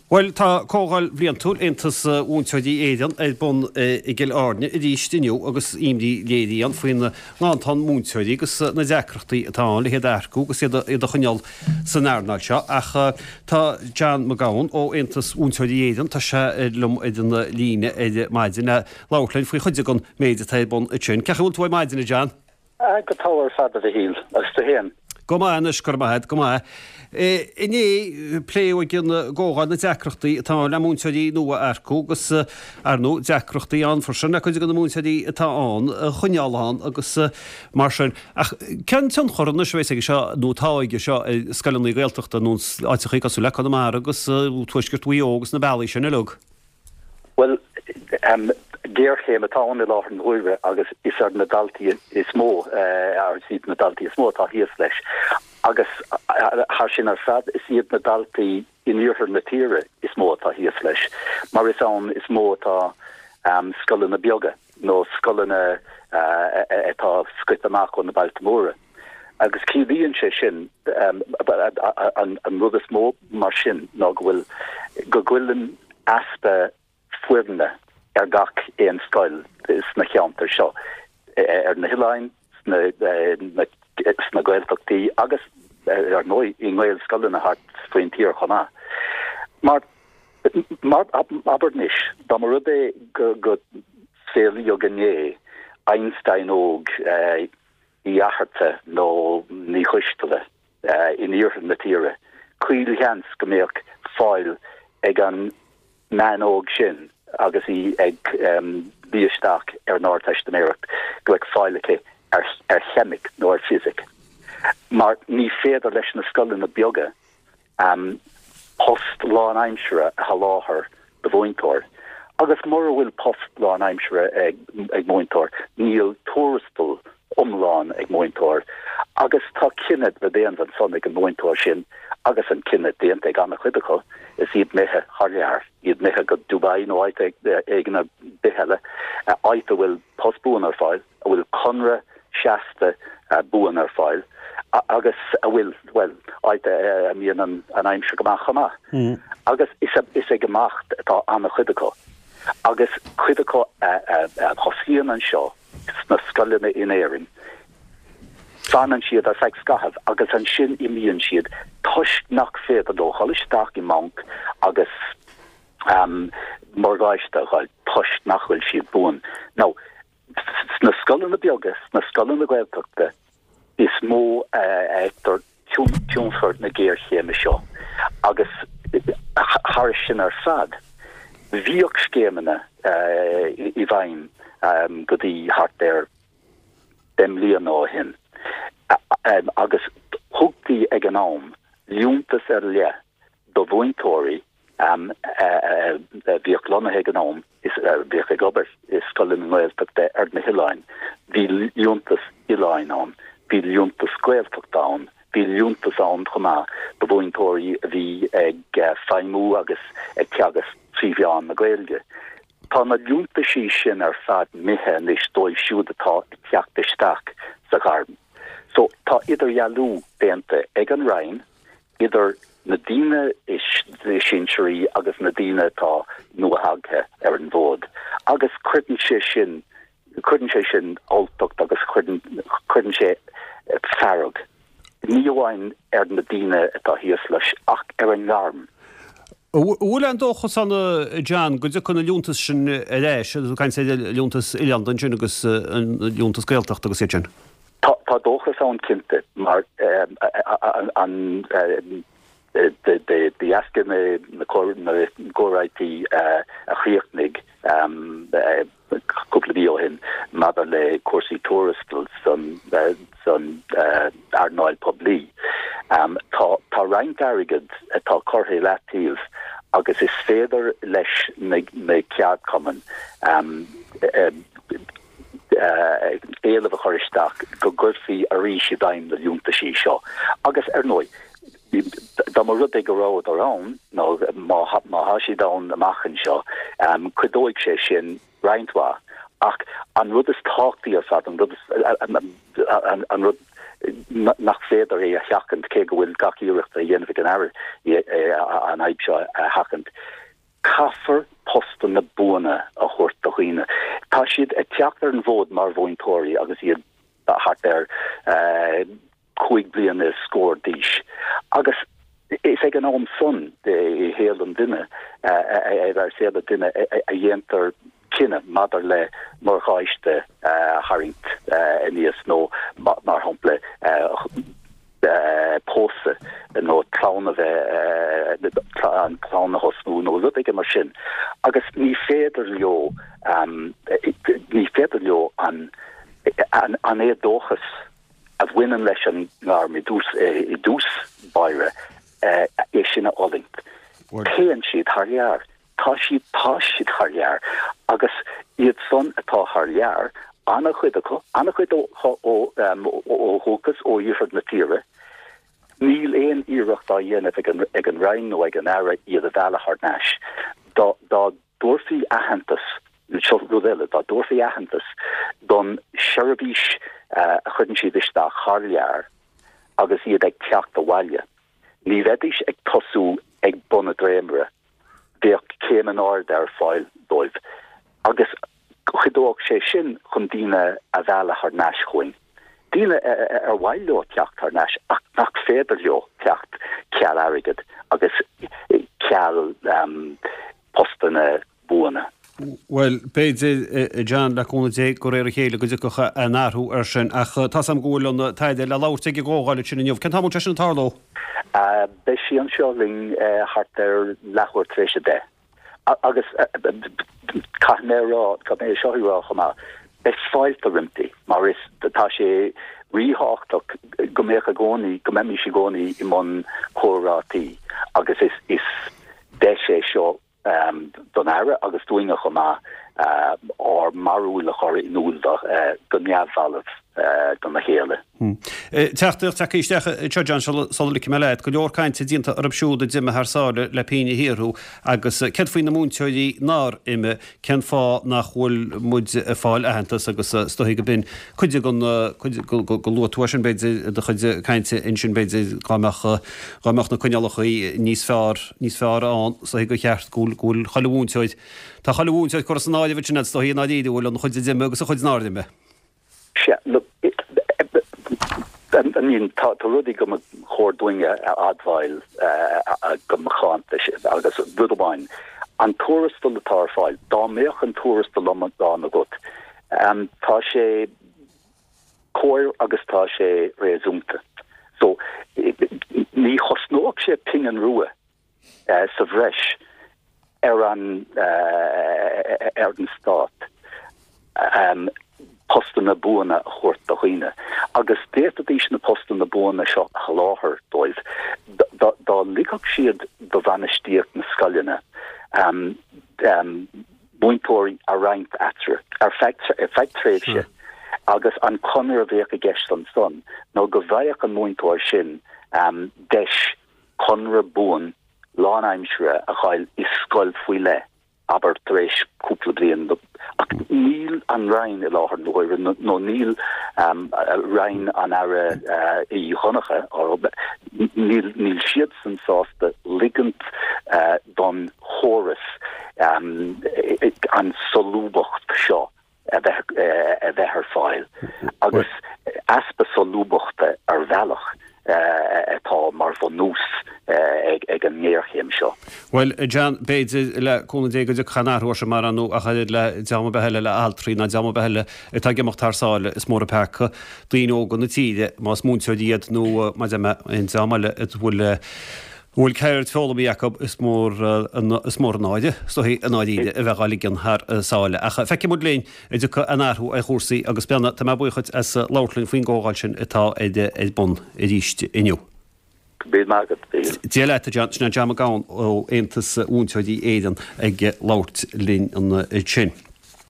Bhuel, tá Comhdháil Bhliantúil Aontas Mhúinteoirí Éireann ar bun i gCill Airne arís inniu agus imní léirithe ann faoin nganntan múinteoirí agus na deacrachtaí atá ann le hiad a earcú agus iad a choinneáil san earnáil seo. Ach tá John Mac Gabhann ó Aontas Mhúinteoirí Éireann, tá sé liom ar an líne ar maidin le labhairt linn faoi chuid den méid atá ar bun ansin. Cén chaoi a bhfuil tú ar maidin, a John? Go togha ar fad, a Mhichíl, agus tú fhéin? Go maith anois, go raibh maith agat, go maith. Inné, pléadh ag an gcomhdháil na deacrachtaí atá ann le múinteoirí nua a earcú agus, ar ndóigh, deacrachtaí ann freisin le cuid de na múinteoirí atá ann a choinneáil ann agus mar sin. Ach cén tionchar anois a bheas aige seo, nó atá aige seo, ar scoileanna Gaeltachta nó áiteachaí cosúil le Conamara agus Tuaisceart Mhaigh Eo agus na bealaí sin uilig? Bhuel, géarchéim atá ann i láthair na huaire agus is ar na daltaí is mó, is iad na daltaí is mó atá thíos leis. Agus thar sin ar fad, is iad na daltaí in iarthar na tíre is mó atá thíos leis, mar is ann is mó atá scoileanna beaga nó scoileanna atá scoite amach ó na bailte móra. Agus ciallaíonn sé sin, an rud is mó mar sin ná go bhfuil, go gcuireann easpa foirne ar gach aon scoil sna cheantair seo, ar na hoileáin, sna Gaeltachtaí agus ar ndóigh i nGaelscoileanna thart faoin tír chomh maith. Mar, mar, abair anois, dá mba rud é go, go saolaíodh inné Einstein óg, Uí Fhatharta nó Ní Choisteala in iarthar na tíre, caolsheans go mbeadh fáil ag an mbean óg sin agus í ag luí isteach ar an Ardteistiméireacht, go mbeadh fáil aici ar cheimic nó ar fisic. Mar ní féidir leis na scoileanna beaga post lánaimseartha a sholáthar do mhúinteoir. Agus mura bhfuil post lánaimseartha ag múinteoir, níl tuarastal iomlán ag múinteoir. Agus tá cinneadh le déanamh ansan ag an múinteoir sin, agus an cinneadh déanta ag an-chuid acu, is iad imithe thar lear, iad imithe go Dubai nó áit éigin ar bith eile, áit a bhfuil post buan ar fáil. a bhfuil conradh seasta buan ar fáil agus a bhfuil, bhuel, áit a mbíonn an aimsir go maith chomh maith. Agus is ag imeacht atá an-chuid acu. Agus cuid acu a thosaíonn anseo sna scoileanna in Éirinn, fanann siad ar feadh scaithimh agus ansin imíonn siad toisc nach féidir leo dhul isteach i mbanc agus morgáiste a fháil toisc nach bhfuil siad buan. Now, Sna scoileanna beaga, sna scoileanna Gaeltachta is mó a fheictear tionchar na géarchéime seo agus thairis sin ar fad, bhíodh scéimeanna i bhfeidhm go dtí thart ar 10 mbliana ó shin agus thugtaí ag an am liúntas ar leith do mhúinteoirí a bhíodh lonnaithe ag an am is a bhíodh ag obair i scoileanna Gaeltachta ar na hoileáin. Bhí liúntas oileáin ann, bhí liúntas Gaeltachta ann, bhí liúntas ann chomh maith do mhúinteoirí a bhí ag feidhmiú agus ag teagasc trí mheán na Gaeilge. Tá na liúntaisí sin ar fad imithe anois dóibh siúd atá ag teacht isteach sa ghairm. So tá idirdhealú déanta ag an Roinn idir na daoine is sinsearaí agus na daoine atá nuathagtha ar an bhfód agus cuireann sé sin, cuireann sé sin alltacht agus cuireann, cuireann sé fearg, ní amháin ar na daoine atá thíos leis ach ar an ngairm. An bhfuil aon dóchas ann, a John, go dtiocfaidh na liúntais sin ar ais, agus tú ag caint ar liúntas oileánda ansin agus an liúntas Gaeltachta agus iad sin? Tá dóchas ann cinnte mar an de dheasca na gcomhráití a chríochnaigh cúpla mí ó shin maidir le cúrsaí tuarastail san earnáil poiblí. Tá roinnt airgid atá curtha i leataobh agus is féidir leis na ceardchumainn éileamh a chur isteach go gcuirfí arís i bhfeidhm na liúntaisí seo agus, ar ndóigh, dá mba rud é go rabhadar ann, nó má tá siad ann amach anseo, cuideoidh sé sin roinnt mhaith. Ach an rud is tábhachtaí ar fad, an rud, an rud. nach féidir é a sheachaint, cé go bhfuil gach iarracht á dhéanamh ag an Aire an fhadhb seo a sheachaint. Caithfear postanna buana a thabhairt do dhaoine. Tá siad ag teacht ar an bhfód mar mhúinteoirí agus iad thart ar 5 bliana is scór d'aois agus is ag an am san i shaol an duine, ar saol an duine a dhéantar cinneadh maidir le morgáiste a tharraingt aníos nó mar shampla pósadh nó clann a bheith, an clann a thosnú nó rud éigin mar sin agus ní féidir leo, ní féidir leo an an éadóchas a bhaineann leis an ngairm i dtús i dtús báire, é sin a fhulaingt. Téann siad thar lear. Tá siad, tá siad thar lear. Agus iad san atá thar lear, an-chuid acu, an-chuid ó ó dhúchas ó iarthar na tíre, níl aon iarracht á dhéanamh ag an ag an Roinn nó ag an Aire iad a mhealladh thar n-ais. Dá dá dtabharfaí aitheantas, seo rud eile, dá dtabharfaí aitheantas don seirbhís a chuireann siad isteach thar lear agus iad ag teacht abhaile, ní bheidís ag tosú ag bun an dréimire, bheadh céim in airde ar fáil dóibh agus chuideodh sé sin chun daoine a mhealladh thar n-ais chugainn, daoine ar mhaith leo teacht thar n-ais ach nach féidir leo teacht ceal airgid agus ceal postanna buana. Bhuel, b'fhéidir, a John, le cúnamh Dé, de réir a chéile go dtiocfadh aon athrú air sin. Ach tá's agam go bhfuil an tAire le labhairt ag an gcomhdháil ansin inniu. Cén t-am a bhfuil sé sin ag tarlú? Beidh sí anseo linn thart ar leathuair tar éis 10. Agus caithfidh mé a rá, caithfidh mé é seo a rá chomh maith, beidh fáilte roimpi mar is tá sé ríthábhachtach go mbeadh i gcónaí, go mbeimis i gcónaí i mbun comhráití agus is is deis é seo don Aire agus dúinne chomh maith ár mbarúil a chur in iúl go neamhbhalbh dona chéile. Teachtaireacht tagtha isteach anseo, John, sula ligfidh mé leat. Go leor cainte déanta orthu siúd a d'imigh thar sáile le pingin a shaothrú agus céard faoi na múinteoirí nár imigh? Cén fáth nach bhfuil muid ag fáil aitheantas agus is dóichí go b'in cuid den, cuid, go luaigh tú é sin b'fhéidir i do chuid cainte ansin b'fhéidir dá mbeadh, dá mbeadh na coinníollacha níos fearr, níos fearr ann is dóichí gur cheart go bhfuil, go bhfuil chuile mhúinteoir, tá chuile mhúinteoir curtha san áireamh ansin is dóichí i ndáiríre, bhfuil an chuid a d'imigh agus an chuid nár imigh. Sea, look, I mean, tá rudaí go mba chóir dúinne a admháil go macánta, agus rud amháin, an tuarastal atá ar fáil, dá mbeadh an tuarastal iomlán agat, tá sé cóir agus tá sé réasúnta. So, ní chosnódh sé pingin rua sa bhreis ar an ar an stát postanna buana a thabhairt do dhaoine agus d'fhéadfaidís na postanna buana seo a sholáthar dóibh dá ligfeadh siad do bhainistíocht na scoileanna múinteoirí a roinnt eatarthu ar feadh tréimhse agus an conradh a bheadh i gceist ansan nó go bhfaigheadh an múinteoir sin deis conradh buan lánaimseartha a fháil i scoil faoi leith, abair, tar éis cúpla bliain, ach níl an Roinn i láthair na huaire, nó níl Roinn an Aire Uí Dhonncha, níl, níl siadsan sásta ligint don chóras an solúbthacht seo a bheith a bheith ar fáil agus easpa solúbthachta ar bhealach atá mar bhunús ag an ngéarchéim seo. Bhuel, a John, b'fhéidir, le cúnamh Dé, go dtiocfaidh an athrú air sin mar ar ndóigh ach oiread le dream ar bith eile, le altraí ná dream ar bith eile atá ag imeacht thar sáile, is mór an peaca daoine óga na tíre, más múinteoirí iad nó mar a deir mé, aon dream eile a bhfuil a bhfuil ceird foghlamtha acu, is mór is mór an náire, is dóichí, i ndáiríre, a bheith á ligean thar sáile. Ach feicfidh muid linn an dtiocfaidh aon athrú ar chúrsaí agus beanna, tá mé buíoch dhuit as labhairt linn faoin gcomhdháil sin atá ar bun arís inniu. Go raibh maith agat, a Mhíchíl. Dia leat, a John. Sin é John Mac Gabhann ó Aontas Mhúinteoirí Éireann ag labhairt linn ansin.